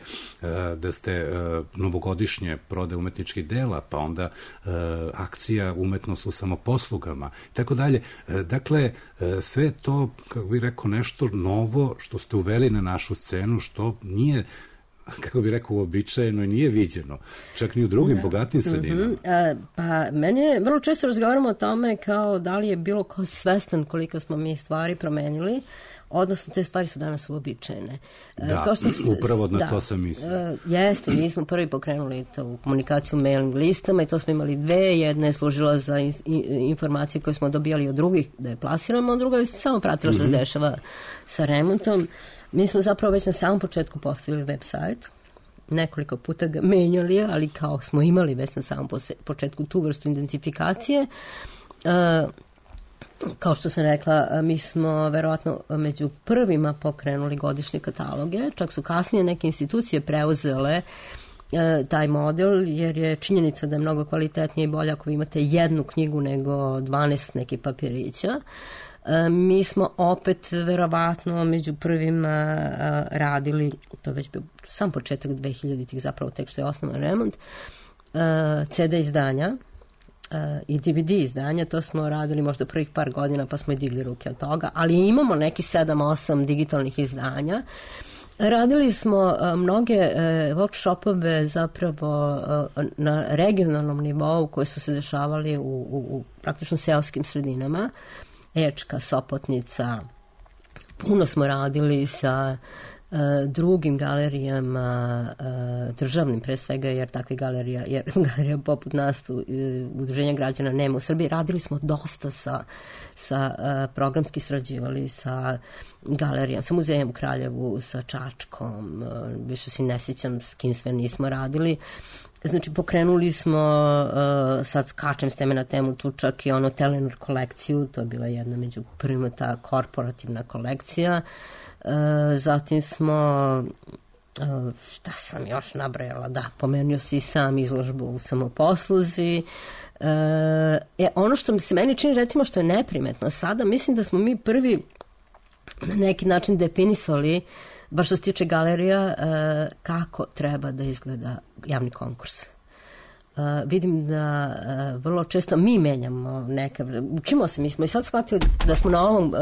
da ste novogodišnje prode umetničkih dela, pa onda akcija umetnost u samoposlugama, i tako dalje. Dakle, sve to, kako bih rekao, nešto novo što ste uveli na našu scenu, što nije, kako bih rekao, uobičajeno i nije viđeno, čak ni u drugim bogatim sredinama. Pa, mene vrlo često razgovaramo o tome kao da li je bilo ko svestan koliko smo mi stvari promenili, odnosno te stvari su danas uobičajene. Da, upravo na to sam mislio. Jeste, mi smo prvi pokrenuli to komunikaciju mailing listama i to smo imali dve. Jedna je služila za informacije koje smo dobijali od drugih da je plasiramo, a druga je samo pratila što se dešava sa remontom. Mi smo zapravo već na samom početku postavili website, nekoliko puta ga menjali, ali kao smo imali već na samom početku tu vrstu identifikacije. Kao što sam rekla, mi smo verovatno među prvima pokrenuli godišnje kataloge, čak su kasnije neke institucije preuzele taj model, jer je činjenica da je mnogo kvalitetnije i bolje ako vi imate jednu knjigu nego 12 nekih papirića. Mi smo opet verovatno među prvima radili, to već bio sam početak 2000-ih, zapravo tek što je osnovan remont, CD izdanja i DVD izdanja, to smo radili možda prvih par godina pa smo i digli ruke od toga, ali imamo neki 7-8 digitalnih izdanja. Radili smo mnoge workshopove zapravo na regionalnom nivou koji su se dešavali u praktično seoskim sredinama, Ečka, Sopotnica. Puno smo radili sa drugim galerijama, državnim pre svega, jer takve galerija poput nas, udruženja građana nema u Srbiji. Radili smo dosta programski srađivali sa galerijom, sa muzejem u Kraljevu, sa Čačkom, više se ne sjećam s kim sve nismo radili. Znači, pokrenuli smo, sad skačem s teme na temu, tu čak i Telenor kolekciju, to je bila jedna među prvima ta korporativna kolekcija. Zatim smo, šta sam još nabrajala, da, pomenuo si sam izložbu u Samoposluzi. Ono što se meni čini, recimo, što je neprimetno sada, mislim da smo mi prvi na neki način definisali, baš što se tiče galerija, kako treba da izgleda javni konkurs. Vidim da vrlo često mi menjamo učimo se, mi smo i sad shvatili da smo na ovom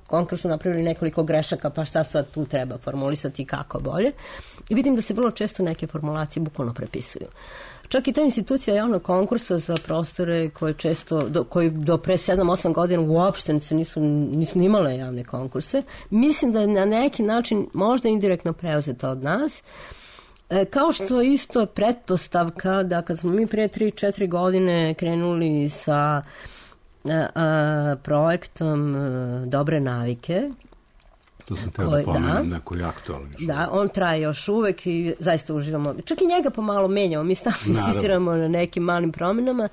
konkursu napravili nekoliko grešaka, pa šta sad tu treba formulisati kako bolje. I vidim da se vrlo često neke formulacije bukvalno prepisuju. Čak i ta institucija javnog konkursa za prostore koji do pre 7-8 godina uopšte nisu imale javne konkurse, mislim da je na neki način možda indirektno preuzeta od nas, kao što isto je pretpostavka da kad smo mi pre 3-4 godine krenuli sa projektom Dobre navike, to sam teo da pomenem, neko je aktualno. Da, on traje još uvek i zaista uživamo. Čak i njega pomalo menjamo, mi stalno insistiramo na nekim malim promjenama.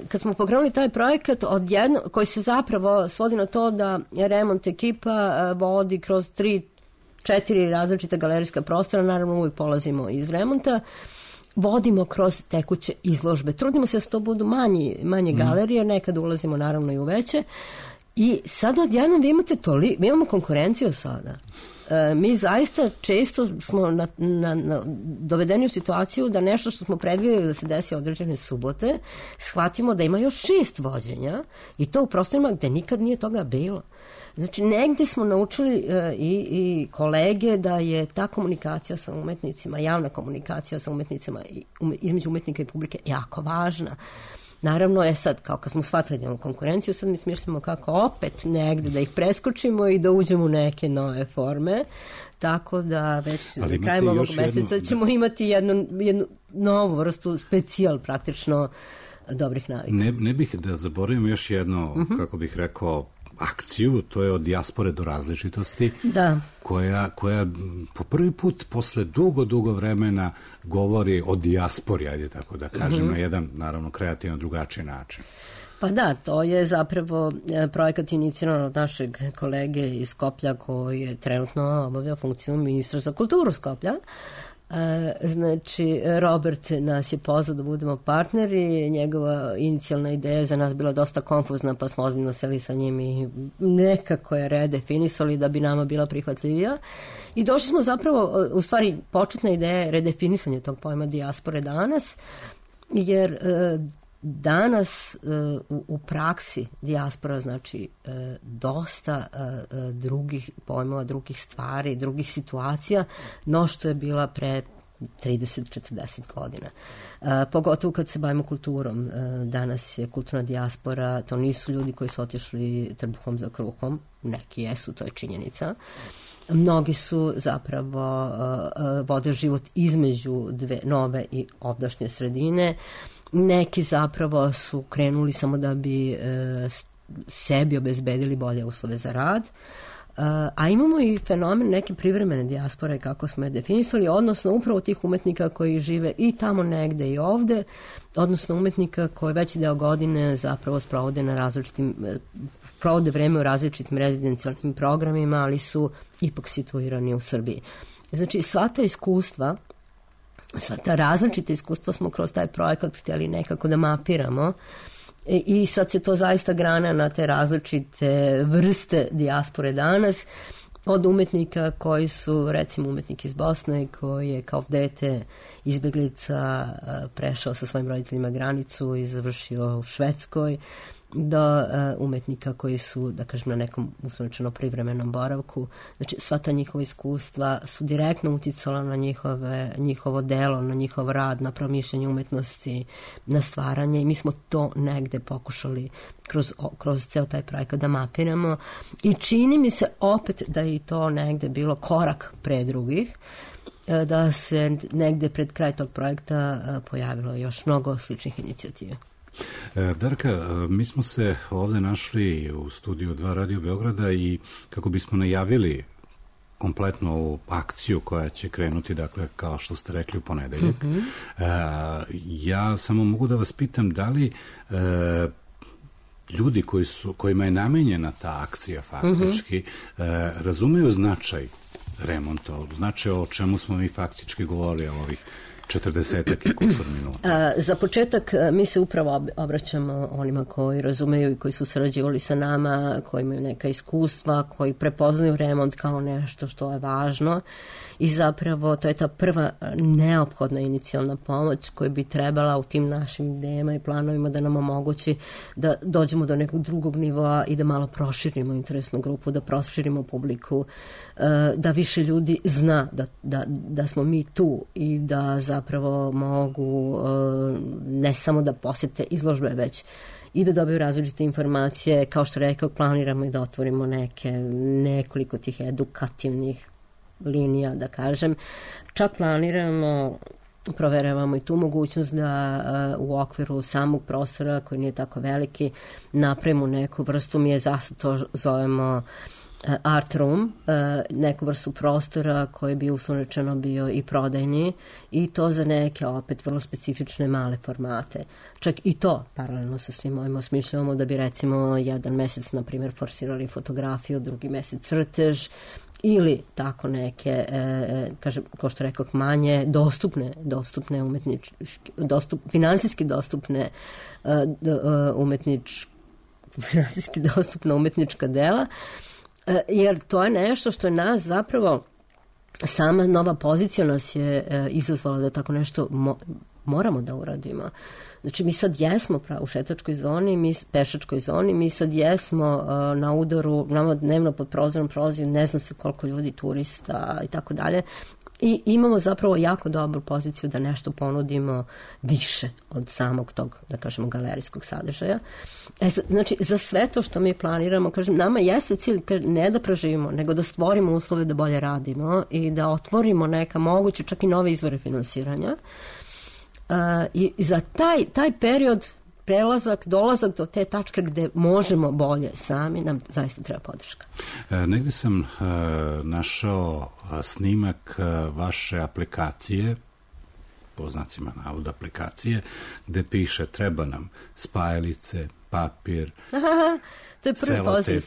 Kad smo pokrenuli taj projekat, koji se zapravo svodi na to da remont ekipa vodi kroz 3-4 različita galerijska prostora, naravno uvijek polazimo iz remonta, vodimo kroz tekuće izložbe. Trudimo se da to budu manje galerije, nekad ulazimo naravno i u veće. I sad odjednom mi imamo konkurenciju sada. Mi zaista često smo dovedeni u situaciju da nešto što smo predvidjeli da se desi određene subote, shvatimo da ima još 6 vođenja i to u prostorima gde nikad nije toga bilo. Znači, negdje smo naučili i kolege da je ta komunikacija sa umetnicima, javna komunikacija sa umetnicima između umetnika i publike jako važna. Naravno, sad, kao kad smo shvatili da imamo konkurenciju, sad mi smišljamo kako opet negdje da ih preskočimo i da uđemo u neke nove forme. Tako da već krajem ovog meseca ćemo imati jednu novu vrstu specijal praktično dobrih navika. Ne bih da zaboravim još jedno, kako bih rekao, akciju, to je od dijaspore do različitosti, koja po prvi put posle dugo vremena govori o dijaspori, ajde tako da kažem, na jedan, naravno, kreativno drugačiji način. Pa da, to je zapravo projekat iniciran od našeg kolege iz Skoplja koji je trenutno obavlja funkciju ministra za kulturu Skoplja. Znači, Robert nas je pozvao da budemo partneri, njegova inicijalna ideja je za nas bila dosta konfuzna, pa smo ozbiljno seli sa njim i nekako je redefinisali da bi nama bila prihvatljivija. I došli smo zapravo, u stvari početna ideja je redefinisanje tog pojma dijaspore danas, jer danas u praksi dijaspora znači dosta drugih pojmova, drugih stvari, drugih situacija, no što je bila pre 30-40 godina. Pogotovo kad se bavimo kulturom. Danas je kulturna dijaspora, to nisu ljudi koji su otišli trbuhom za kruhom, neki jesu, to je činjenica. Mnogi su zapravo vode život između dve nove i ovdašnje sredine. Neki zapravo su krenuli samo da bi sebi obezbedili bolje uslove za rad. A imamo i fenomen neke privremene dijaspore, kako smo je definisali, odnosno upravo tih umetnika koji žive i tamo negde i ovde, odnosno umetnika koji veći deo godine zapravo provode vreme u različitim rezidencijalnim programima, ali su ipak situirani u Srbiji. Znači, sva ta iskustva, sva ta različita iskustva smo kroz taj projekat htjeli nekako da mapiramo i sad se to zaista grana na te različite vrste dijaspore danas, od umetnika koji su, recimo, umetnik iz Bosne koji je kao dete izbjeglica prešao sa svojim roditeljima granicu i završio u Švedskoj, do umetnika koji su, da kažem, na nekom uslovno privremenom boravku. Znači, sva ta njihova iskustva su direktno uticala na njihovo delo, na njihov rad, na promišljanje umetnosti, na stvaranje, i mi smo to negde pokušali kroz ceo taj projekat da mapiramo i čini mi se opet da je to negde bilo korak pre drugih. da se negde pred kraj tog projekta pojavilo još mnogo sličnih inicijativa. Darka, mi smo se ovde našli u studiju 2 Radio Beograda i kako bismo najavili kompletnu ovu akciju koja će krenuti, dakle, kao što ste rekli, u ponedeljak. Ja samo mogu da vas pitam da li ljudi kojima je namenjena ta akcija faktički razumeju značaj remonta, značaj o čemu smo mi faktički govorili ovih 40 i kusur minuta. Za početak mi se upravo obraćamo onima koji razumeju i koji su sarađivali sa nama, koji imaju neka iskustva, koji prepoznaju remont kao nešto što je važno i zapravo to je ta prva neophodna inicijalna pomoć koja bi trebala u tim našim idejama i planovima da nam omogući da dođemo do nekog drugog nivoa i da malo proširimo interesnu grupu, da proširimo publiku, da više ljudi zna da smo mi tu i da zapravo mogu ne samo da posete izložbe, već i da dobiju različite informacije. Kao što rekao, planiramo i da otvorimo nekoliko tih edukativnih linija, da kažem. Čak planiramo, proveravamo i tu mogućnost da u okviru samog prostora, koji nije tako veliki, napravimo neku vrstu, mi je zašto to zovemo art room, neku vrstu prostora koji bi uslovno rečeno bio i prodajni i to za neke opet vrlo specifične male formate. Čak i to paralelno sa svim ovim osmišljavamo da bi recimo jedan mesec, na primjer, forsirali fotografiju, drugi mesec crtež ili tako neke, kažem, kao što rekao, manje dostupne finansijski dostupne finansijski dostupna umetnička dela, jer to je nešto što je nas zapravo, sama nova pozicija nas je izazvala da tako nešto moramo da uradimo. Znači, mi sad jesmo u šetačkoj zoni, pešačkoj zoni, mi sad jesmo na udaru, nama dnevno pod prozorom prolazi ne znam se koliko ljudi, turista i tako dalje. I imamo zapravo jako dobru poziciju da nešto ponudimo više od samog tog, da kažemo, galerijskog sadržaja. Znači, za sve to što mi planiramo, kažem, nama jeste cilj ne da preživimo, nego da stvorimo uslove da bolje radimo i da otvorimo neka moguće, čak i nove izvore finansiranja. I za taj period, dolazak do te tačke gde možemo bolje sami, nam zaista treba podrška. Negde sam našao snimak vaše aplikacije, po znacima navoda aplikacije, gde piše treba nam spajalice, papir, to je prvi poziv.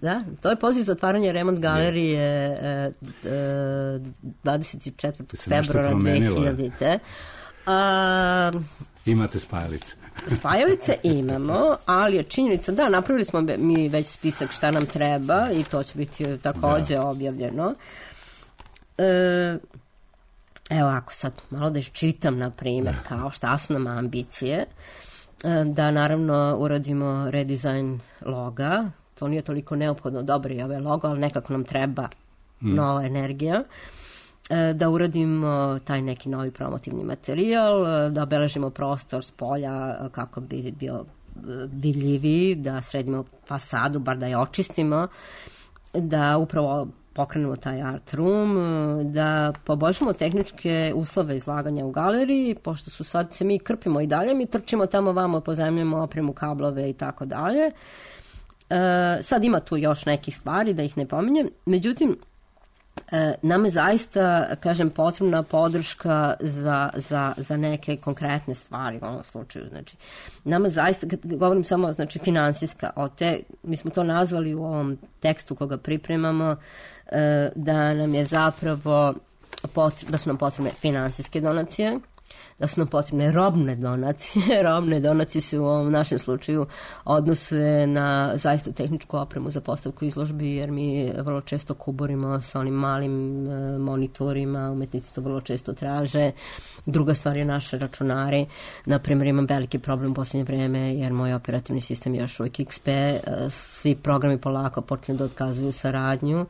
Da, to je poziv za otvaranje remont galerije 24. februara 2000. Imate spajalice? Spajalice imamo, ali je činjenica, da, napravili smo mi već spisak šta nam treba i to će biti takođe objavljeno. Evo, ako sad malo da iščitam, na primjer, kao šta su nam ambicije, da naravno uradimo redizajn loga, to nije toliko neophodno, dobro je ovaj logo, ali nekako nam treba nova energija, da uradimo taj neki novi promotivni materijal, da obeležimo prostor s polja kako bi bio vidljiviji, da sredimo fasadu, bar da je očistimo, da upravo pokrenemo taj art room, da poboljšamo tehničke uslove izlaganja u galeriji, pošto su sad se mi krpimo i dalje, mi trčimo tamo vamo, pozajmljujemo opremu, kablove i tako dalje. Sad ima tu još nekih stvari, da ih ne pominjem, međutim, nam je zaista, kažem, potrebna podrška za neke konkretne stvari u ovom slučaju. Znači, nam je zaista, kad govorim samo, znači, finansijska, mi smo to nazvali u ovom tekstu koga pripremamo, da nam je zapravo da su nam potrebne finansijske donacije, da su nam potrebne robne donacije. Robne donacije se u ovom našem slučaju odnose na zaista tehničku opremu za postavku izložbi, jer mi vrlo često kuborimo sa onim malim monitorima, umetnici to vrlo često traže. Druga stvar je naše računari. Naprimjer, imam veliki problem u posljednje vreme, jer moj operativni sistem je još uvijek XP, svi programi polako počnu da otkazuju saradnju,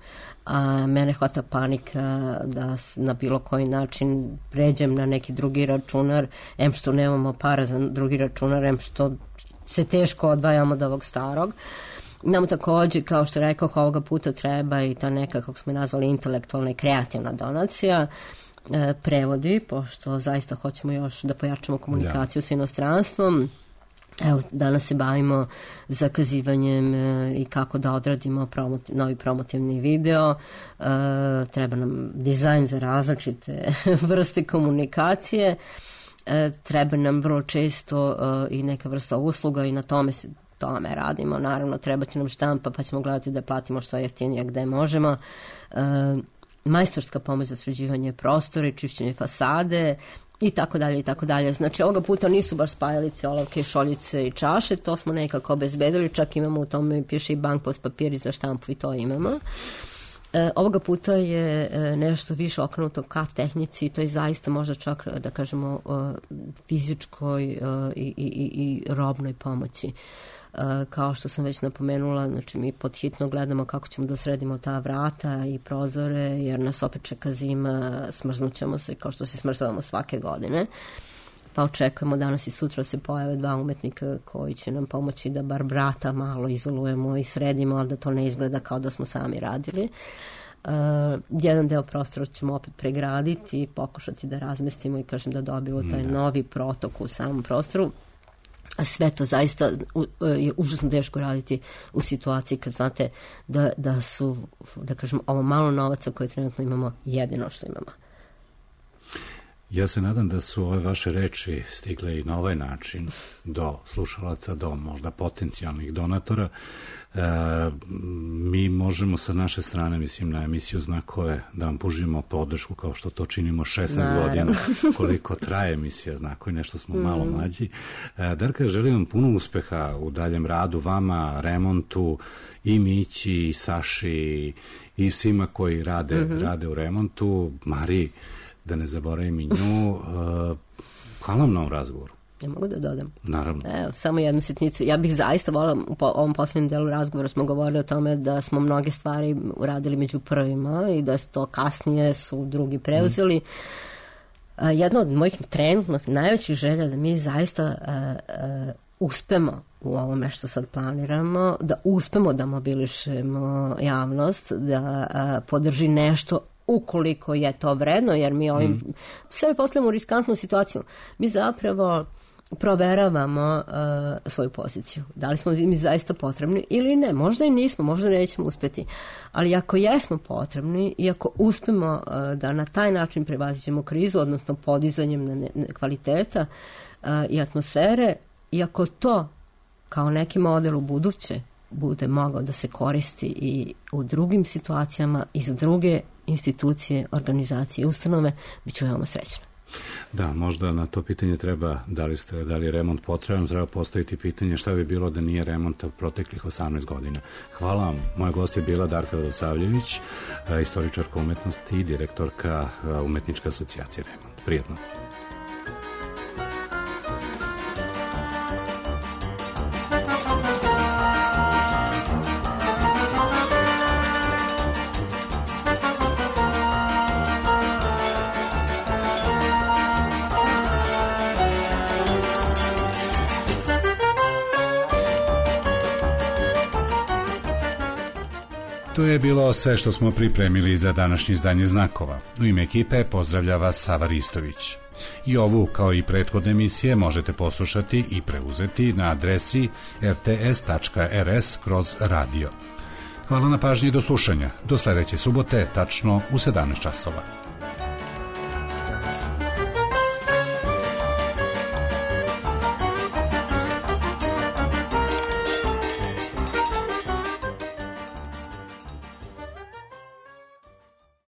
a mene hvata panika da na bilo koji način pređem na neki drugi računar, em što nemamo para za drugi računar, em što se teško odvajamo od ovog starog. Nam takođe, kao što rekao, ovoga puta treba i ta neka, kako smo nazvali, intelektualna i kreativna donacija. prevodi, pošto zaista hoćemo još da pojačamo komunikaciju sa inostranstvom. Evo, danas se bavimo zakazivanjem i kako da odradimo novi promotivni video. Treba nam dizajn za različite vrste komunikacije. Treba nam vrlo često i neka vrsta usluga i na tome radimo. Naravno, treba će nam štampa, pa ćemo gledati da platimo što jeftinije gde možemo. Majstorska pomoć za sređivanje prostora, čišćenje fasade, i tako dalje, i tako dalje. Znači, ovoga puta nisu baš spajalice, olovke, šoljice i čaše, to smo nekako obezbedili, čak imamo u tome, piše i bankpost papiri za štampu i to imamo. Ovoga puta je nešto više okrenuto ka tehnici i to je zaista možda čak, da kažemo, fizičkoj i robnoj pomoći. Kao što sam već napomenula, znači mi podhitno gledamo kako ćemo da sredimo ta vrata i prozore, jer nas opet čeka zima, smrznućemo se kao što se smrzavamo svake godine. Pa očekujemo danas i sutra se pojave 2 umetnika koji će nam pomoći da bar vrata malo izolujemo i sredimo, ali da to ne izgleda kao da smo sami radili. Jedan deo prostora ćemo opet pregraditi i pokušati da razmestimo i kažem da dobijemo taj novi protok u samom prostoru. A sve to zaista je užasno teško raditi u situaciji kad znate da su, da kažem, ovo malo novaca koje trenutno imamo jedino što imamo. Ja se nadam da su ove vaše reči stigle i na ovaj način do slušalaca, do možda potencijalnih donatora. Mi možemo sa naše strane, mislim, na emisiju Znakove da vam pružimo podršku kao što to činimo 16 godina, koliko traje emisija Znakovi, nešto smo malo mlađi. Darka, želim vam puno uspeha u daljem radu, vama, remontu, i Mići, i Saši, i svima koji rade u remontu, Mariji, da ne zaboravim i nju. Hvala vam na ovom razgovoru. Ja mogu da dodam? Naravno. Evo, samo jednu sitnicu. Ja bih zaista volila, u ovom posljednjem delu razgovora smo govorili o tome da smo mnoge stvari uradili među prvima i da to kasnije su drugi preuzeli. Jedna od mojih trenutnih najvećih želja da mi zaista uspemo u ovome što sad planiramo, da uspemo da mobilišemo javnost, da podrži nešto ukoliko je to vredno, jer mi ovim sebe postavljamo u riskantnu situaciju. Mi zapravo proveravamo svoju poziciju. Da li smo mi zaista potrebni ili ne. Možda i nismo, možda nećemo uspjeti. Ali ako jesmo potrebni i ako uspemo da na taj način prevaziđemo krizu, odnosno podizanjem kvaliteta i atmosfere, i ako to kao neki model u buduće bude mogao da se koristi i u drugim situacijama i za druge institucije, organizacije i ustanove, bit ću veoma srećna. Da, možda na to pitanje treba, da li je remont potreban, treba postaviti pitanje šta bi bilo da nije remonta proteklih 18 godina. Hvala vam. Moja gost je bila Darka Radosavljević, istoričarka umetnosti i direktorka Umetničke asocijacije Remont. Prijetno. To je bilo sve što smo pripremili za današnje izdanje Znakova. U ime ekipe pozdravlja vas Sava Ristović. I ovu, kao i prethodne emisije, možete poslušati i preuzeti na adresi rts.rs/radio. Hvala na pažnji i do slušanja. Do sledeće subote, tačno u 17 časova.